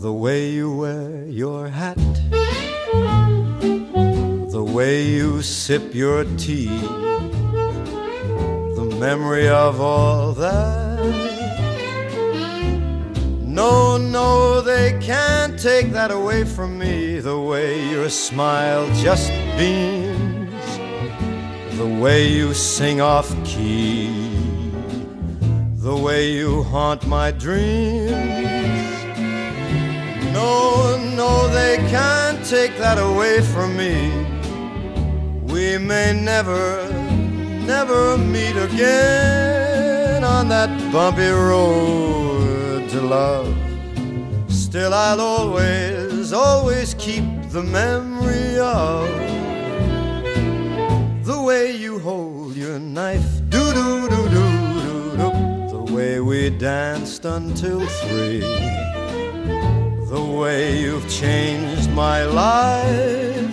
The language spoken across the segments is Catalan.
The way you wear your hat, the way you sip your tea, the memory of all that. No, no, they can't take that away from me. The way your smile just beams, the way you sing off key, the way you haunt my dreams. No, no, they can't take that away from me. We may never, never meet again on that bumpy road to love. Still I'll always, always keep the memory of the way you hold your knife, do-do-do-do-do-do, the way we danced until 3. The way you've changed my life.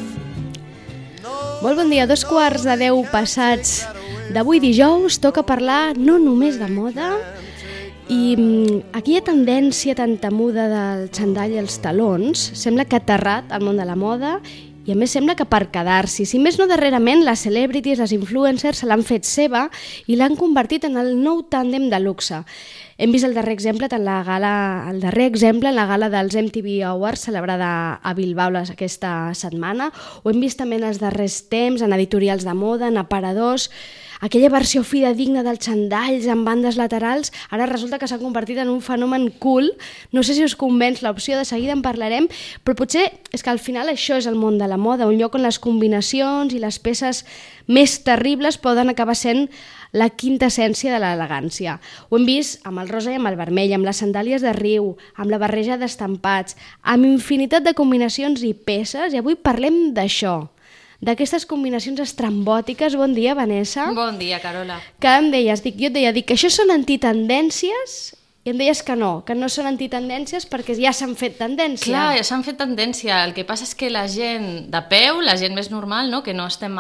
Molt bon dia, 2:15 passats d'avui dijous. Toca parlar no només de moda i aquella tendència tan temuda del xandall i els talons sembla que ha aterrat al món de la moda i a més sembla que per quedar-s'hi. Si més no, darrerament les celebrities, les influencers se l'han fet seva i l'han convertit en el nou tàndem de luxe. Hem vist el darrer exemple en la gala dels MTV Awards celebrada a Bilbao aquesta setmana, ho hem vist també en els darrers temps, en editorials de moda, en aparadors. Aquella versió fidedigna dels xandalls amb bandes laterals ara resulta que s'ha convertit en un fenomen cool. No sé si us convenç l'opció, de seguida en parlarem, però potser és que al final això és el món de la moda, un lloc on les combinacions i les peces més terribles poden acabar sent la quinta essència de l'elegància. Ho hem vist amb el rosa i amb el vermell, amb les sandàlies de riu, amb la barreja d'estampats, amb infinitat de combinacions i peces, i avui parlem d'això, d'aquestes combinacions estrambòtiques. Bon dia, Vanessa. Bon dia, Carola. Que em deies, jo et deia que això són antitendències, i em deies que no són antitendències perquè ja s'han fet tendència. Clar, ja s'han fet tendència. El que passa és que la gent de peu, la gent més normal, no? Que no estem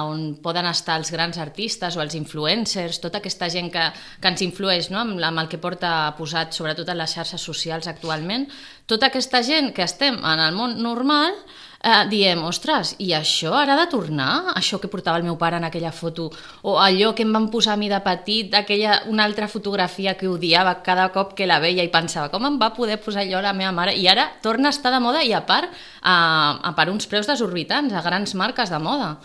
on poden estar els grans artistes o els influencers, tota aquesta gent que ens influeix, no? amb el que porta posat sobretot en les xarxes socials actualment, tota aquesta gent que estem en el món normal diem, ostres, i això ara ha de tornar? Això que portava el meu pare en aquella foto, o allò que em van posar a mi de petit, una altra fotografia que odiava cada cop que la veia i pensava, com em va poder posar allò a la meva mare? I ara torna a estar de moda i a part per uns preus desorbitants, a grans marques de moda.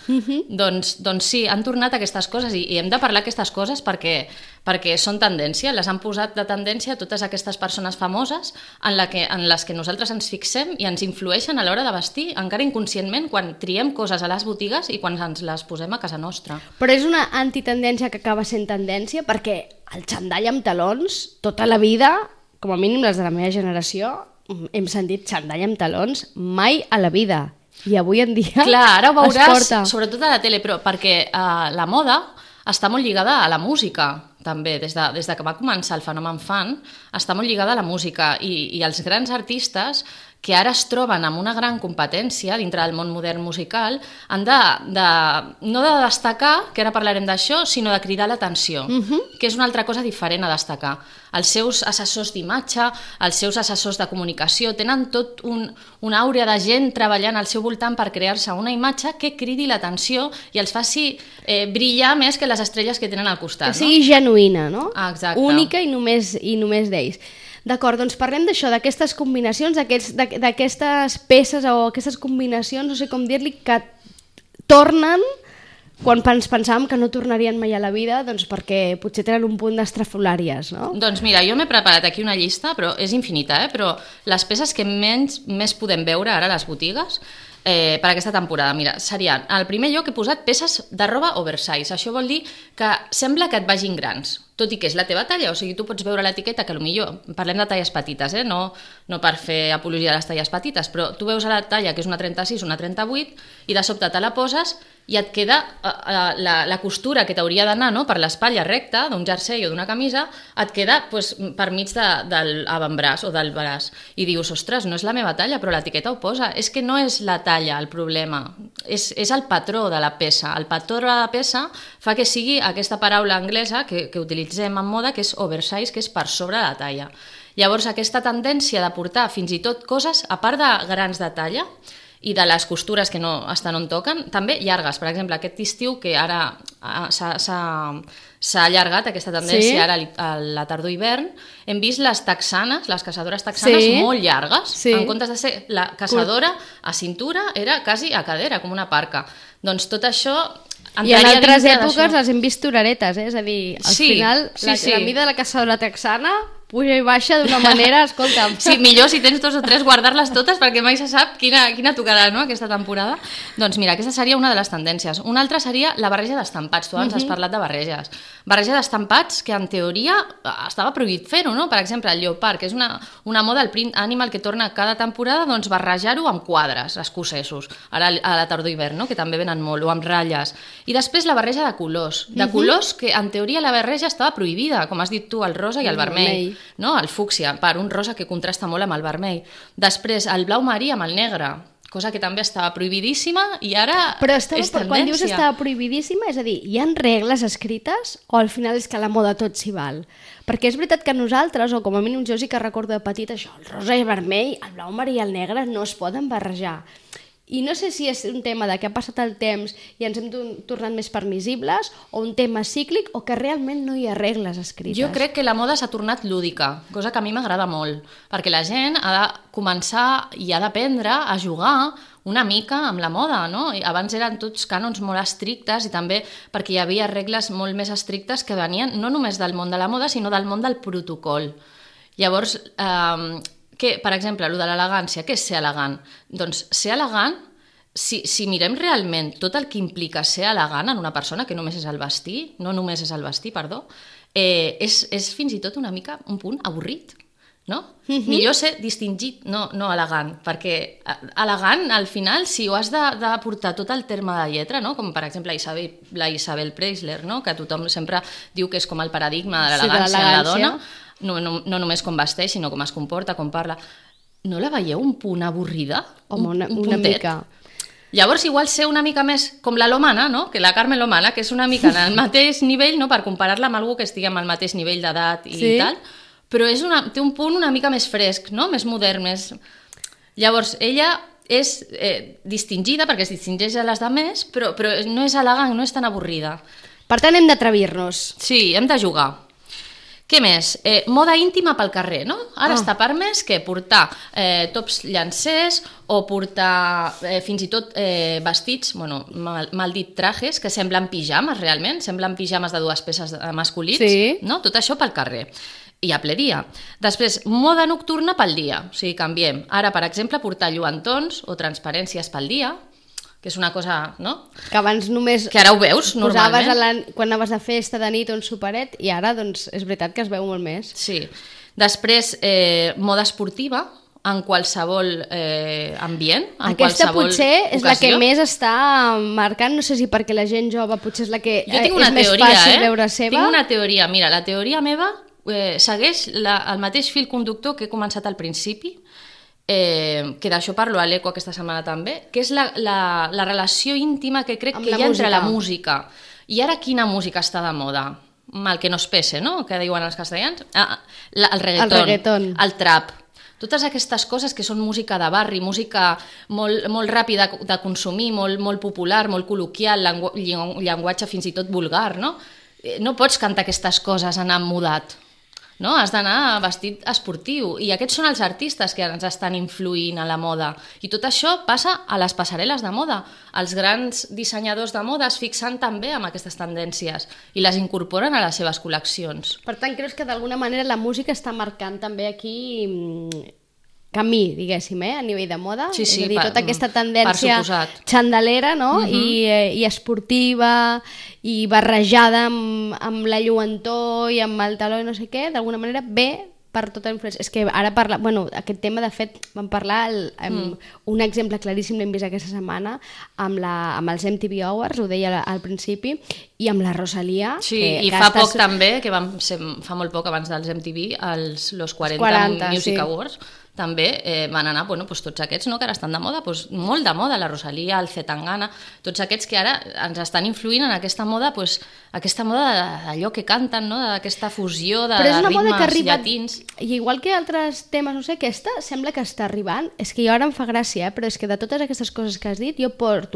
Doncs sí, han tornat aquestes coses i hem de parlar d'aquestes coses perquè són tendència, les han posat de tendència totes aquestes persones famoses en les que nosaltres ens fixem i ens influeixen a l'hora de vestir, encara inconscientment, quan triem coses a les botigues i quan ens les posem a casa nostra. Però és una antitendència que acaba sent tendència perquè el xandall amb talons, tota la vida, com a mínim les de la meva generació, hem sentit xandall amb talons mai a la vida. I avui en dia clar, ara ho veuràs, porta. Sobretot a la tele, però perquè la moda està molt lligada a la música, també, des de que va començar el fenomen fan, està molt lligada a la música i els grans artistes que ara es troben amb una gran competència dintre del món modern musical han no de destacar, que ara parlarem d'això, sinó de cridar l'atenció, que és una altra cosa diferent a destacar. Els seus assessors d'imatge, els seus assessors de comunicació, tenen tot una àurea de gent treballant al seu voltant per crear-se una imatge que cridi l'atenció i els faci brillar més que les estrelles que tenen al costat. Que sigui genuïna, no? Exacte. Única i només d'ells. D'acord, doncs parlem d'això, d'aquestes combinacions, d'aquestes peces o aquestes combinacions, no sé com dir-li, que tornen quan pensàvem que no tornarien mai a la vida, doncs perquè potser tenen un punt d'estrafolàries, no? Doncs mira, jo m'he preparat aquí una llista, però és infinita, però les peces que més podem veure ara a les botigues per aquesta temporada, mira, serien, al primer lloc he posat peces de roba oversize. Això vol dir que sembla que et vagin grans, tot i que és la teva talla, o sigui, tu pots veure l'etiqueta que potser parlem de talles petites, no per fer apologia de les talles petites, però tu veus a la talla que és una 36, una 38 i de sobte te la poses i et queda la costura que t'hauria d'anar, no? Per l'espatlla recta d'un jersei o d'una camisa, et queda per mig de l'avantbraç o del braç i dius, ostres, no és la meva talla, però l'etiqueta ho posa. És que no és la talla el problema, és el patró de la peça. El patró de la peça fa que sigui aquesta paraula anglesa que utilitzem en moda, que és oversize, que és per sobre la talla. Llavors, aquesta tendència de portar fins i tot coses, a part de grans de talla, i de les costures que no estan on toquen, també llargues. Per exemple, aquest estiu, que ara s'ha allargat aquesta tendència, ara a la tardor-hivern, hem vist les texanes, les caçadores texanes molt llargues. En comptes de ser la caçadora a cintura, era quasi a cadera, com una parca. Doncs tot això... I en altres èpoques les hem vist toreretes, és a dir, al final la mida de la caçadora texana puja i baixa d'una manera, escolta'm. Sí, millor si tens 2 o 3 guardar-les totes perquè mai se sap quina tocarà, no?, aquesta temporada. Doncs mira, aquesta seria una de les tendències. Una altra seria la barreja d'estampats. Tu abans has parlat de barreges. Barreja d'estampats que en teoria estava prohibit fer-ho, no? Per exemple, el lleopard, que és una moda, el print animal que torna cada temporada, doncs barrejar-ho amb quadres escocesos, ara a la tardor-hivern, no?, que també venen molt, o amb ratlles. I després la barreja de colors. De colors que en teoria la barreja estava prohibida, com has dit tu, el rosa i el vermell. No? El fúcsia, un rosa que contrasta molt amb el vermell. Després, el blau marí amb el negre, cosa que també estava prohibidíssima i ara és tendència. Quan dius estava prohibidíssima, és a dir, hi ha regles escrites o al final és que a la moda tot s'hi val? Perquè és veritat que nosaltres, o com a mínim jo sí que recordo de petit això, el rosa i el vermell, el blau marí i el negre no es poden barrejar. I no sé si és un tema de que ha passat el temps i ens hem tornat més permissibles o un tema cíclic o que realment no hi ha regles escrites. Jo crec que la moda s'ha tornat lúdica, cosa que a mi m'agrada molt, perquè la gent ha de començar i ha d'aprendre a jugar una mica amb la moda, no? Abans eren tots cànons molt estrictes i també perquè hi havia regles molt més estrictes que venien no només del món de la moda, sinó del món del protocol. Llavors, per exemple, el de l'elegància, què és ser elegant? Doncs ser elegant, si mirem realment tot el que implica ser elegant en una persona, que només és el vestir, és fins i tot una mica un punt avorrit, no? Millor ser distingit, no elegant, perquè elegant, al final, si ho has de portar tot el terme de lletra, no? Com per exemple la Isabel Preisler, no? Que tothom sempre diu que és com el paradigma de l'elegància en la dona, no només com vesteix, sinó com es comporta, com parla. No la veieu un punt avorrida? Home, una mica. Llavors, igual ser una mica més com la Lomana, no? Que la Carmen Lomana, que és una mica en el mateix nivell, no? Per comparar-la amb algú que estigui amb el mateix nivell d'edat i tal, però té un punt una mica més fresc, no? Més modern, més... Llavors, ella és distingida, perquè es distingeix a les altres, però no és elegant, no és tan avorrida. Per tant, hem d'atrevir-nos. Sí, hem de jugar. Què més? Moda íntima pel carrer, no? Ara està permès que portar tops llancers o portar fins i tot vestits, mal dit trajes, que semblen pijames realment, semblen pijames de 2 peces masculins, no? Tot això pel carrer. I a ple dia. Després, moda nocturna pel dia, o sigui, canviem. Ara, per exemple, portar lluentons o transparències pel dia, que és una cosa, no? Que abans només... Que ara ho veus, normalment. Quan anaves de festa de nit o un superet, i ara, doncs, és veritat que es veu molt més. Sí. Després, moda esportiva, en qualsevol ambient, en aquesta qualsevol potser és ocasió. La que més està marcant, no sé si perquè la gent jove potser és la que és més teoria, fàcil veure seva. Tinc una teoria, mira, la teoria meva segueix el mateix fil conductor que he començat al principi, que d'això parlo a l'Eco aquesta setmana també, que és la relació íntima que crec que hi ha entre la música. I ara quina música està de moda? Mal que no es pese, no?, que diuen els castellans. El reggaeton, el trap. Totes aquestes coses que són música de barri, música molt ràpida de consumir, molt popular, molt col·loquial, llenguatge fins i tot vulgar, no? No pots cantar aquestes coses anant mudat. No? Has d'anar vestit esportiu i aquests són els artistes que ens estan influint a la moda i tot això passa a les passarel·les de moda. Els grans dissenyadors de moda es fixen també en aquestes tendències i les incorporen a les seves col·leccions. Per tant, creus que d'alguna manera la música està marcant també aquí camí, diguéssim, a nivell de moda? Sí, és a dir, tota aquesta tendència xandalera, no? I esportiva i barrejada amb la lluentor i amb el taló i no sé què, d'alguna manera ve per tota la influència. És que ara aquest tema, de fet, vam parlar, un exemple claríssim l'hem vist aquesta setmana amb els MTV Awards, ho deia al principi, i amb la Rosalía. Sí, i fa poc també, que fa molt poc abans dels MTV, los 40 Music Awards, també van anar, tots aquests que ara estan de moda, molt de moda, la Rosalía, el Zetangana, tots aquests que ara ens estan influint en aquesta moda, aquesta moda d'allò que canten, d'aquesta fusió de ritmes llatins. I igual que altres temes, no sé, aquesta sembla que està arribant, és que jo ara em fa gràcia, però és que de totes aquestes coses que has dit, jo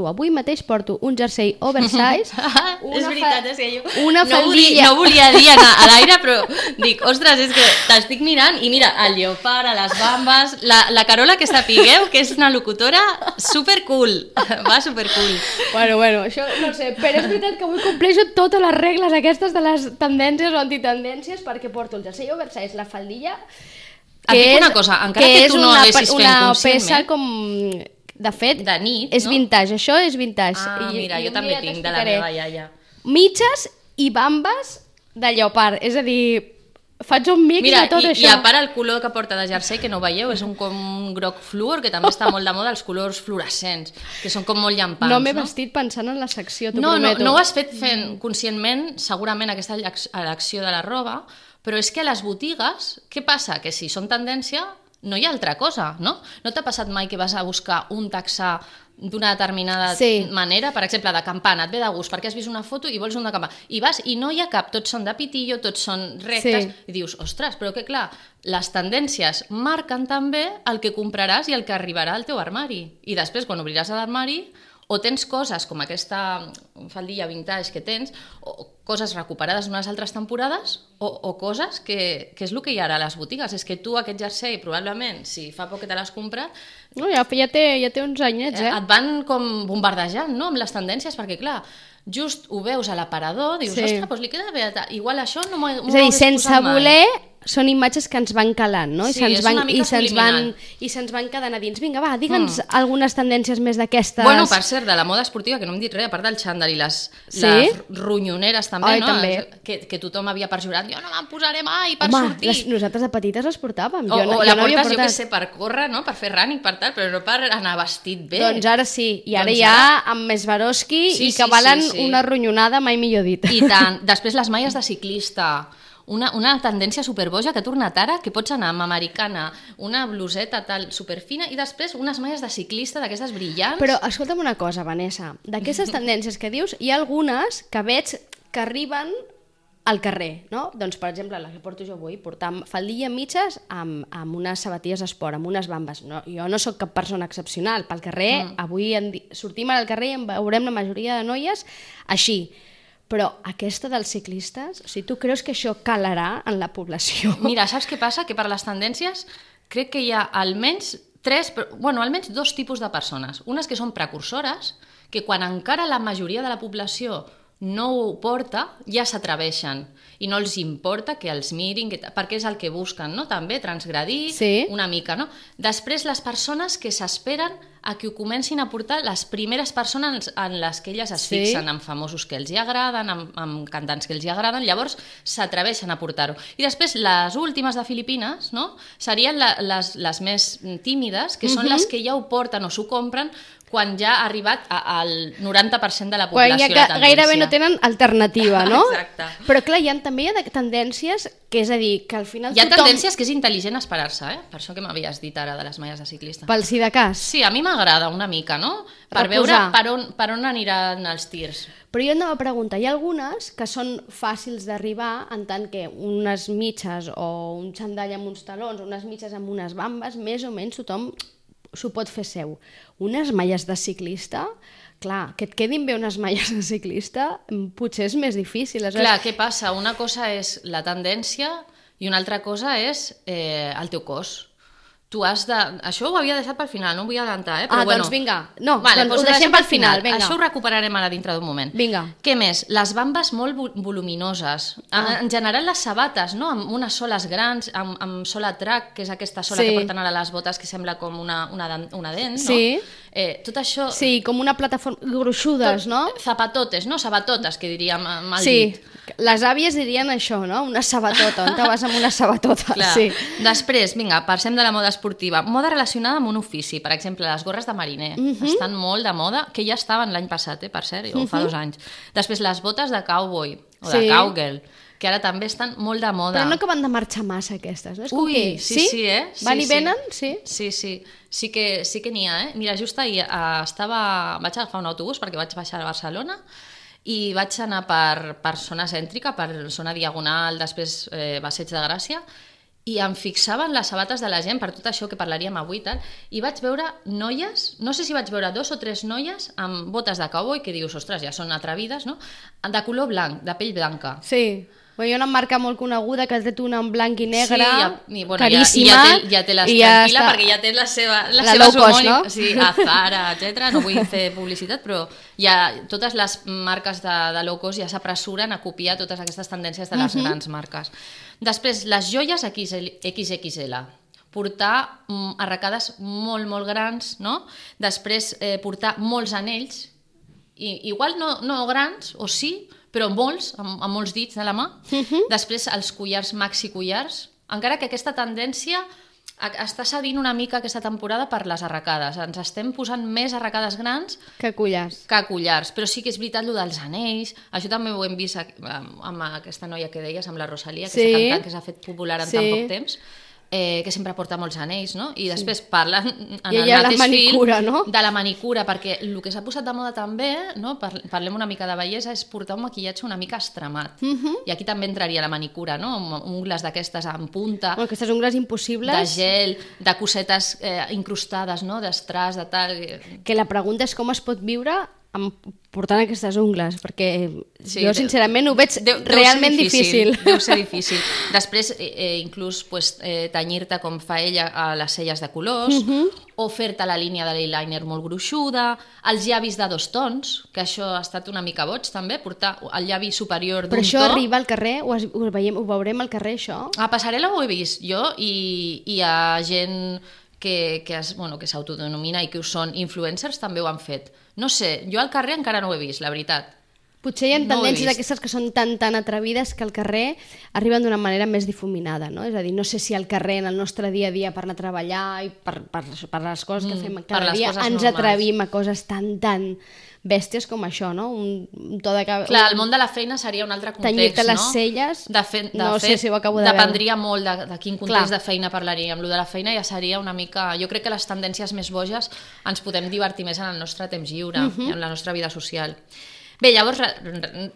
avui mateix porto un jersei oversize, és veritat, és que jo una faldilla... No volia dir a l'aire, però dic, ostres, és que t'estic mirant i mira, el lleopard, a les bambes, la Carola, que sapigueu que és una locutora supercool, va supercool. Bueno, això no sé, però és veritat que avui compleixo totes les regles aquestes de les tendències o antitendències perquè porto el jersei oversize, la faldilla... Et dic una cosa, encara que tu no l'haguessis fet una conscientment... peça com... De fet, de nit, és vintage, això és vintage. Mira, jo també tinc de la meva iaia. Mitges i bambes de lleopard, és a dir, faig un mix de tot això. I a part el color que porta de jersei, que no veieu, és un groc fluor, que també està molt de moda, els colors fluorescents, que són com molt llampants. No m'he vestit pensant en la secció, t'ho prometo. No ho has fet fent conscientment, segurament, aquesta elecció de la roba, però és que a les botigues, què passa? Que si són tendència, no hi ha altra cosa, no? No t'ha passat mai que vas a buscar un texà d'una determinada manera, per exemple, de campana, et ve de gust, perquè has vist una foto i vols un de campana, i vas i no hi ha cap, tots són de pitillo, tots són rectes, i dius, ostres, però que clar, les tendències marquen també el que compraràs i el que arribarà al teu armari, i després, quan obriràs l'armari, o tens coses com aquesta faldilla vintage que tens, o coses recuperades d'unes altres temporades, o coses que és el que hi ha ara a les botigues. És que tu aquest jersei, probablement, si fa poc que te l'has comprat... No, ja té uns anyets, Et van com bombardejant, no?, amb les tendències, perquè, clar, just ho veus a l'aparador, dius, ostres, doncs li queda bé, igual això no m'ho hagués posat mai. És a dir, sense voler... Són imatges que ens van calant, no? Sí, és una mica subliminal. I se'ns van quedant a dins. Vinga, va, digue'ns algunes tendències més d'aquestes... Bueno, per cert, de la moda esportiva, que no hem dit res, a part del xandall i les ronyoneres també, no? També. Que tothom havia perjurat. Jo no me'n posaré mai per sortir. Nosaltres de petites les portàvem. O la portes, jo què sé, per córrer, no? Per fer running, per tal, però no per anar vestit bé. Doncs ara sí. I ara ja amb més Swarovski i que valen una ronyonada, mai millor dit. I tant. Després les malles de ciclista... Una tendència superboja que ha tornat ara, que pots anar amb americana, una bluseta tal superfina i després unes malles de ciclista d'aquestes brillants. Però escolta'm una cosa, Vanessa, d'aquestes tendències que dius, hi ha algunes que veig que arriben al carrer, no? Doncs, per exemple, la que porto jo avui, portar faldilla mitges amb unes sabatilles d'esport, amb unes bambes. No, jo no sóc cap persona excepcional. Pel carrer, avui sortim al carrer i en veurem la majoria de noies així. Però aquesta dels ciclistes, o sigui, tu creus que això calarà en la població? Mira, saps què passa? Que per les tendències crec que hi ha almenys almenys dos tipus de persones. Unes que són precursores, que quan encara la majoria de la població no ho porta, ja s'atreveixen i no els importa que els mirin, perquè és el que busquen, no? També transgredir una mica, no? Després les persones que s'esperen a que ho comencin a portar les primeres persones en les que elles es fixen, amb famosos que els hi agraden, amb cantants que els hi agraden, llavors s'atreveixen a portar-ho. I després les últimes de Filipines, no? Serien les més tímides, que són les que ja ho porten o s'ho compren quan ja ha arribat al 90% de la població. Quan ja gairebé no tenen alternativa, no? Exacte. Però clar, també hi ha tendències que és a dir, que al final hi ha tendències que és intel·ligent esperar-se, per això que m'havies dit ara de les malles de ciclista. Pel si de cas. Sí, a mi m'agrada una mica, no? Per veure per on aniran els tirs. Però jo anava a preguntar, hi ha algunes que són fàcils d'arribar en tant que unes mitges o un xandall amb uns talons, unes mitges amb unes bambes, més o menys tothom s'ho pot fer seu. Unes malles de ciclista, clar, que et quedin bé unes malles de ciclista potser és més difícil. Clar, què passa? Una cosa és la tendència i una altra cosa és el teu cos. Tu has de... Això ho havia deixat pel final, no ho vull adelantar, però bueno. Doncs vinga. No, doncs ho deixem pel final. Això ho recuperarem ara dintre d'un moment. Vinga. Què més? Les bambes molt voluminoses. En general les sabates, no? Amb unes soles grans, amb sola track, que és aquesta sola que porten ara les botes que sembla com una dent, no? Sí. Tot això... Sí, com una plataforma gruixudes, no? Zapatotes, no? Sabatotes, que diríem mal dit. Sí, les àvies dirien això, no? Una sabatota, on te vas amb una sabatota. Clar. Sí. Després, vinga, passem de la moda esportiva. Moda relacionada amb un ofici, per exemple, les gorres de mariner. Estan molt de moda, que ja estaven l'any passat, per cert, o fa 2 anys. Després, les botes de cowboy, o de cowgirl, que ara també estan molt de moda. Però no que van de marxar massa aquestes, no? És com que... sí, Van i venen, sí? Sí que n'hi ha, Mira, just ahir vaig agafar un autobús perquè vaig baixar a Barcelona i vaig anar per zona cèntrica, per zona diagonal, després Passeig de Gràcia, i em fixava en les sabates de la gent, per tot això que parlaríem avui, i vaig veure noies, no sé si vaig veure 2 o 3 noies amb botes de cowboy, que dius, ostres, ja són atrevides, no? De color blanc, de pell blanca. Sí. Hi ha una marca molt coneguda que ha tret una en blanc i negre, bueno, caríssima. Ja té les tranquil·la, perquè ja té les seves homònimes. Sí, a Zara, etc. No vull fer publicitat, però totes les marques de low cost ja s'apressuren a copiar totes aquestes tendències de les grans marques. Després, les joies XXL. Portar arracades molt, molt grans, no? Després, portar molts anells, igual no grans, o sí, però molts, amb molts dits de la mà. Després els collars, maxi collars, encara que aquesta tendència està cedint una mica aquesta temporada per les arracades. Ens estem posant més arracades grans que collars. Però sí que és veritat el dels anells, això també ho hem vist amb aquesta noia que deies, amb la Rosalia, que és cantant, que s'ha fet popular en tan poc temps, que sempre porta molts anells, no? I després parlen en el mateix manicura, fil, no? De la manicura, perquè el que s'ha posat de moda també, no? Parlem una mica de bellesa, és portar un maquillatge una mica extremat. I aquí també entraria la manicura, no? Amb ungles d'aquestes en punta, aquestes ungles impossibles, de gel, de cosetes incrustades, no? D'estràs, de tal... Que la pregunta és com es pot viure portant aquestes ungles, perquè jo sincerament ho veig realment difícil. Deu ser difícil. Després, inclús tenyir-te com fa ella a les celles de colors, o fer-te la línia de l'eyeliner molt gruixuda, els llavis de 2 tons, que això ha estat una mica boig també, portar el llavi superior d'un to. Però això arriba al carrer? Ho veurem al carrer, això? A passarel·la ho he vist jo, i hi ha gent que s'autodenomina i que són influencers, també ho han fet. No sé, jo al carrer encara no ho he vist, la veritat. Potser hi ha tendències d'aquestes que són tan atrevides que al carrer arriben d'una manera més difuminada, no? És a dir, no sé si al carrer, en el nostre dia a dia, per anar a treballar i per les coses que fem cada dia, ens atrevim a coses tan bèsties com això, no? Un to de cabell... Clar, el món de la feina seria un altre context, no? Tenyir-te les celles, no sé si ho acabo de veure. Dependria molt de quin context de feina parlaríem. Lo de la feina ja seria una mica... Jo crec que les tendències més boges ens podem divertir més en el nostre temps lliure, en la nostra vida social. Bé, llavors,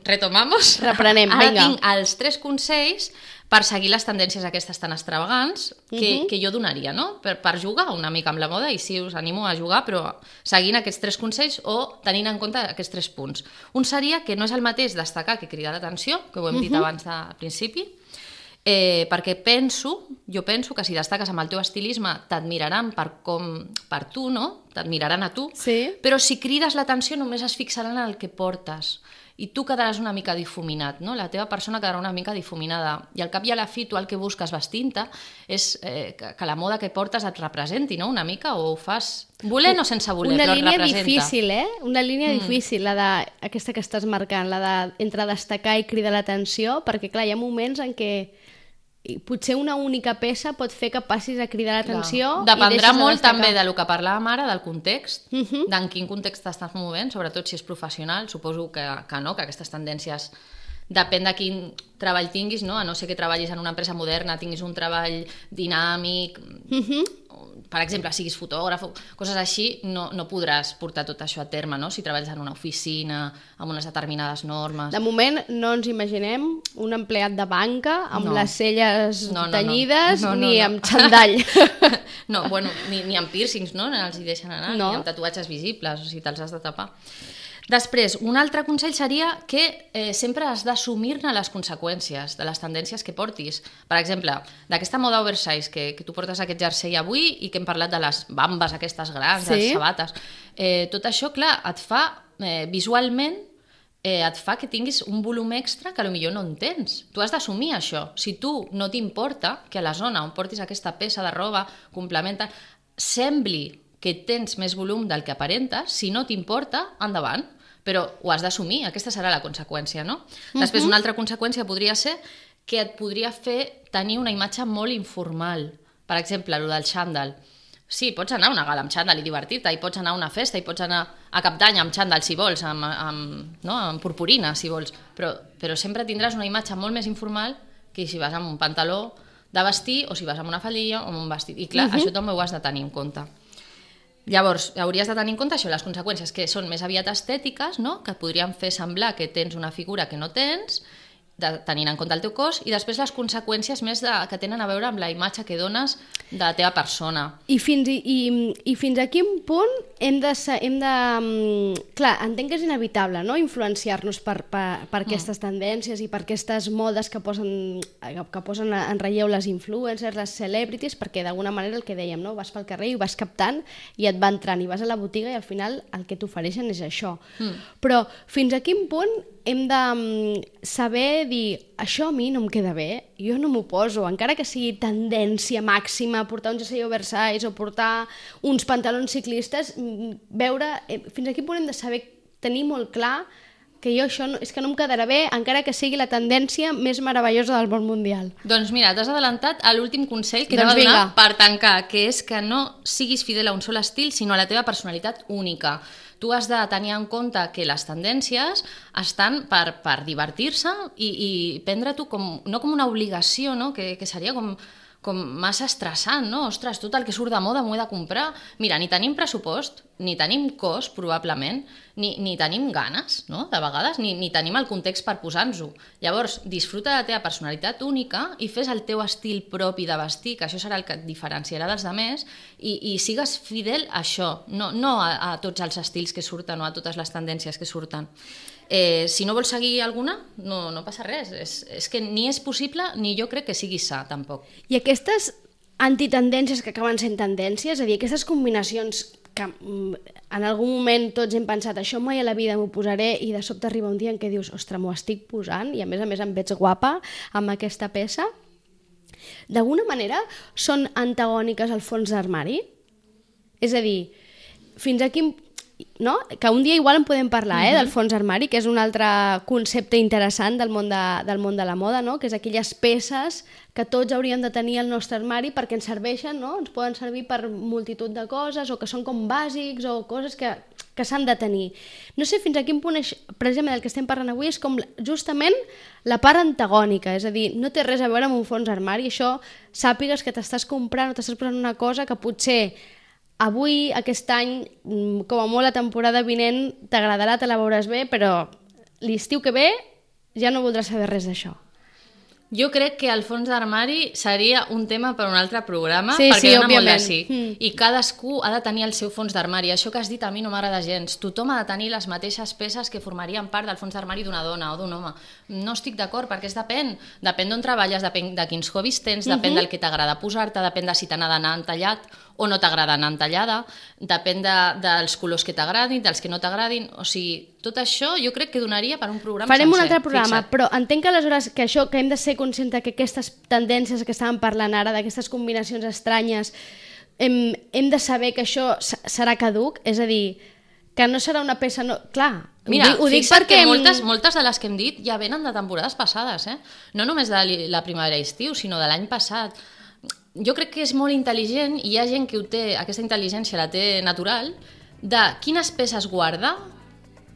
retomamos. Reprenem, vinga. Ara tinc els 3 consells per seguir les tendències aquestes tan extravagants que jo donaria, no? Per jugar una mica amb la moda, i sí, us animo a jugar, però seguint aquests 3 consells o tenint en compte aquests 3 punts. Un seria que no és el mateix destacar que cridar l'atenció, que ho hem dit abans al principi, perquè jo penso que si destaques amb el teu estilisme t'admiraran per tu, no? T'admiraran a tu, però si crides l'atenció només es fixaran en el que portes i tu quedaràs una mica difuminat, no? La teva persona quedarà una mica difuminada, i al cap i a la fi tu el que busques vestint-te és que la moda que portes et representi, no? Una mica, o ho fas volent o sense voler, però et representa. Una línia difícil, Una línia difícil, aquesta que estàs marcant, entre destacar i cridar l'atenció, perquè clar, hi ha moments en què potser una única peça pot fer que passis a cridar l'atenció. Dependrà molt també del que parlàvem ara, del context, d'en quin context t'estàs movent, sobretot si és professional. Suposo que no, que aquestes tendències depèn de quin treball tinguis, no? A no ser que treballis en una empresa moderna, tinguis un treball dinàmic, per exemple, siguis fotògraf, coses així, no podràs portar tot això a terme, no? Si treballes en una oficina, amb unes determinades normes. De moment no ens imaginem un empleat de banca amb les celles tenyides ni amb xandall. No, bueno, ni amb pírcings, no? No els hi deixen anar, ni amb tatuatges visibles, o sigui, te'ls has de tapar. Després, un altre consell seria que sempre has d'assumir-ne les conseqüències de les tendències que portis. Per exemple, d'aquesta moda oversize, que tu portes aquest jersei avui i que hem parlat de les bambes aquestes grans, de les sabates. Tot això, clar, et fa visualment et fa que tinguis un volum extra que potser no en tens. Tu has d'assumir això. Si tu no t'importa que a la zona on portis aquesta peça de roba complementa, sembli que tens més volum del que aparentes, si no t'importa, endavant. Però ho has d'assumir, aquesta serà la conseqüència, no? Després, una altra conseqüència podria ser que et podria fer tenir una imatge molt informal. Per exemple, el del xandall. Sí, pots anar a una gala amb xandall i divertir-te, i pots anar a una festa, i pots anar a Cap d'Any amb xandall, si vols, amb purpurina, si vols, però sempre tindràs una imatge molt més informal que si vas amb un pantaló de vestir o si vas amb una faldilla o amb un vestit. I clar, això també ho has de tenir en compte. Llavors, hauries de tenir en compte això, les conseqüències que són més aviat estètiques, no? Que et podrien fer semblar que tens una figura que no tens, tenint en compte el teu cos, i després les conseqüències més que tenen a veure amb la imatge que dones de la teva persona. I fins a quin punt hem de... Clar, entenc que és inevitable, no?, influenciar-nos per aquestes tendències i per aquestes modes que posen en relleu les influencers, les celebrities, perquè d'alguna manera el que dèiem, no?, vas pel carrer i vas captant i et va entrant, i vas a la botiga i al final el que t'ofereixen és això. Però fins a quin punt hem de saber dir, això a mi no em queda bé, jo no m'ho poso, encara que sigui tendència màxima portar un jersei oversize o portar uns pantalons ciclistes, veure fins a quin punt hem de saber tenir molt clar que jo això és que no em quedarà bé, encara que sigui la tendència més meravellosa del món mundial. Doncs mira, t'has adelantat a l'últim consell que anava a donar per tancar, que és que no siguis fidel a un sol estil, sinó a la teva personalitat única. Tu has de tenir en compte que les tendències estan per divertir-se i prendre-t'ho no com una obligació, no? Que seria com massa estressant, no? Ostres, tot el que surt de moda m'ho he de comprar. Mira, ni tenim pressupost, ni tenim cos, probablement, ni tenim ganes, no? De vegades, ni tenim el context per posar-nos-ho. Llavors, disfruta de la teva personalitat única i fes el teu estil propi de vestir, que això serà el que et diferenciarà dels altres, i sigues fidel a això, no a tots els estils que surten o a totes les tendències que surten. Si no vols seguir alguna, no passa res. És que ni és possible ni jo crec que sigui sa, tampoc. I aquestes antitendències que acaben sent tendències, és a dir, aquestes combinacions que en algun moment tots hem pensat això mai a la vida m'ho posaré i de sobte arriba un dia en què dius, ostres, m'ho estic posant i a més em veig guapa amb aquesta peça, d'alguna manera són antagòniques al fons d'armari? És a dir, fins a quin... No? Que un dia igual en podem parlar del fons armari, que és un altre concepte interessant del món de la moda, no? Que és aquelles peces que tots hauríem de tenir al nostre armari perquè ens serveixen, no? Ens poden servir per multitud de coses o que són com bàsics o coses que s'han de tenir. No sé fins a quin punt precisament el que estem parlant avui és com justament la part antagònica, és a dir, no té res a veure amb un fons armari, això sàpigues que t'estàs comprant o t'estàs posant una cosa que potser avui, aquest any, com a molt la temporada vinent, t'agradarà, te la veuràs bé, però l'estiu que ve ja no voldràs saber res d'això. Jo crec que el fons d'armari seria un tema per un altre programa, perquè dona molt de sí. I cadascú ha de tenir el seu fons d'armari. Això que has dit a mi no m'agrada gens. Tothom ha de tenir les mateixes peces que formarien part del fons d'armari d'una dona o d'un home. No estic d'acord, perquè depèn d'on treballes, depèn de quins hobbies tens, depèn del que t'agrada posar-te, depèn de si t'ha d'anar entallat o no t'agrada anar entallada, depèn dels colors que t'agradin, dels que no t'agradin, o sigui, tot això jo crec que donaria per un programa sencer. Farem un altre programa, però entenc que aleshores que hem de ser conscients que aquestes tendències que estàvem parlant ara, d'aquestes combinacions estranyes, hem de saber que això serà caduc, és a dir, que no serà una peça... Clar, mira, ho dic perquè moltes de les que hem dit ja venen de temporades passades, no només de la primavera i estiu, sinó de l'any passat. Jo crec que és molt intel·ligent i hi ha gent que ho té, aquesta intel·ligència la té natural, de quines peces guarda,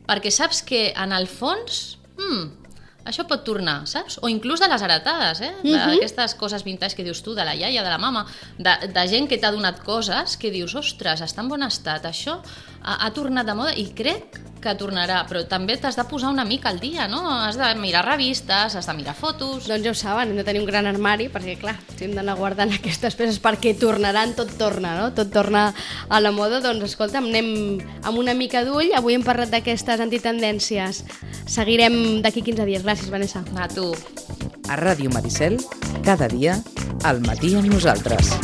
perquè saps que en el fons això pot tornar, saps? O inclús de les heretades, d'aquestes coses vintage que dius tu, de la iaia, de la mama, de gent que t'ha donat coses que dius, ostres, està en bon estat, això ha tornat de moda i crec que tornarà, però també t'has de posar una mica al dia, no? Has de mirar revistes, has de mirar fotos... Doncs ja ho saben, hem de tenir un gran armari, perquè clar, si hem d'anar guardant aquestes peces perquè tornaran, tot torna, no? Tot torna a la moda, doncs escolta'm, anem amb una mica d'ull, avui hem parlat d'aquestes antitendències, seguirem d'aquí 15 dies. Gràcies, Vanessa. A tu. A Ràdio Maricel, cada dia, al matí amb nosaltres.